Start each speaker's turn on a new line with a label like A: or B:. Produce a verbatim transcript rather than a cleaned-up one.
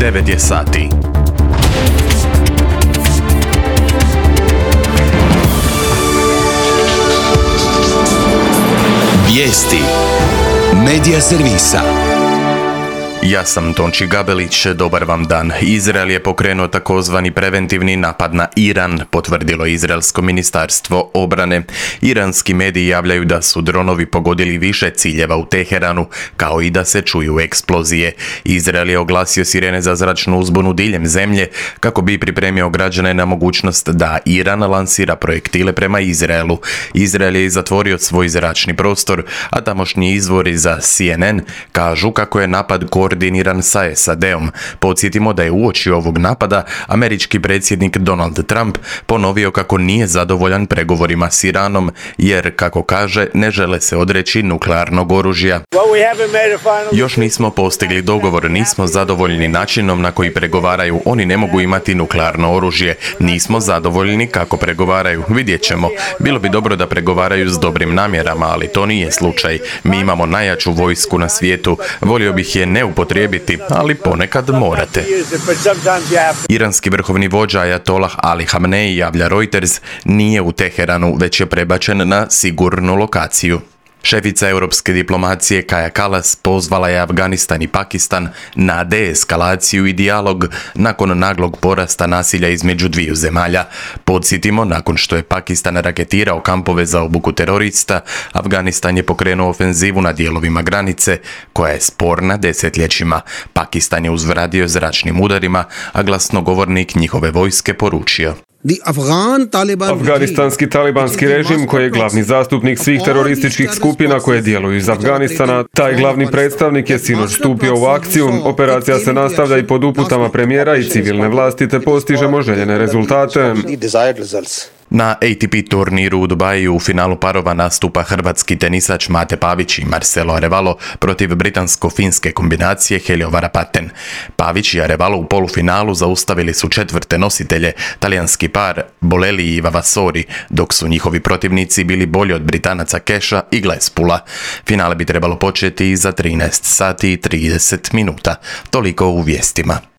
A: devet je sati.
B: Vijesti Medija servisa.
A: Ja sam Tonči Gabelić, dobar vam dan. Izrael je pokrenuo takozvani preventivni napad na Iran, potvrdilo Izraelsko ministarstvo obrane. Iranski mediji javljaju da su dronovi pogodili više ciljeva u Teheranu, kao i da se čuju eksplozije. Izrael je oglasio sirene za zračnu uzbunu diljem zemlje, kako bi pripremio građane na mogućnost da Iran lansira projektile prema Izraelu. Izrael je zatvorio svoj zračni prostor, a tamošnji izvori za C N N kažu kako je napad koordiniran sa S A D-om. Podsjetimo da je uoči ovog napada američki predsjednik Donald Trump ponovio kako nije zadovoljan pregovorima s Iranom, jer, kako kaže, ne žele se odreći nuklearnog oružja. Još nismo postigli dogovor, nismo zadovoljni načinom na koji pregovaraju, oni ne mogu imati nuklearno oružje, nismo zadovoljni kako pregovaraju, vidjet ćemo. Bilo bi dobro da pregovaraju s dobrim namjerama, ali to nije slučaj. Mi imamo najjaču vojsku na svijetu, volio bih je ne upotrijebiti, ali ponekad morate. Iranski vrhovni vođa Ajatollah Ali Hamenei, javlja Reuters, nije u Teheranu, već je prebačen na sigurnu lokaciju. Šefica europske diplomacije Kaja Kallas pozvala je Afganistan i Pakistan na deeskalaciju i dijalog nakon naglog porasta nasilja između dviju zemalja. Podsjetimo, nakon što je Pakistan raketirao kampove za obuku terorista, Afganistan je pokrenuo ofenzivu na dijelovima granice, koja je sporna desetljećima. Pakistan je uzvradio zračnim udarima, a glasnogovornik njihove vojske poručio:
C: Afganistanski talibanski režim, koji je glavni zastupnik svih terorističkih skupina koje djeluju iz Afganistana, taj glavni predstavnik je sinoć stupio u akciju. Operacija se nastavlja i pod uputama premijera i civilne vlasti, te postižemo željene rezultate.
A: Na A T P turniru u Dubaju u finalu parova nastupa hrvatski tenisač Mate Pavić i Marcelo Arevalo protiv britansko-finske kombinacije Helio Varapaten. Pavić i Arevalo u polufinalu zaustavili su četvrte nositelje, talijanski par Bolelli i Vavasori, dok su njihovi protivnici bili bolji od Britanaca Keša i Glespula. Finale bi trebalo početi za trinaest sati i trideset minuta. Toliko u vijestima.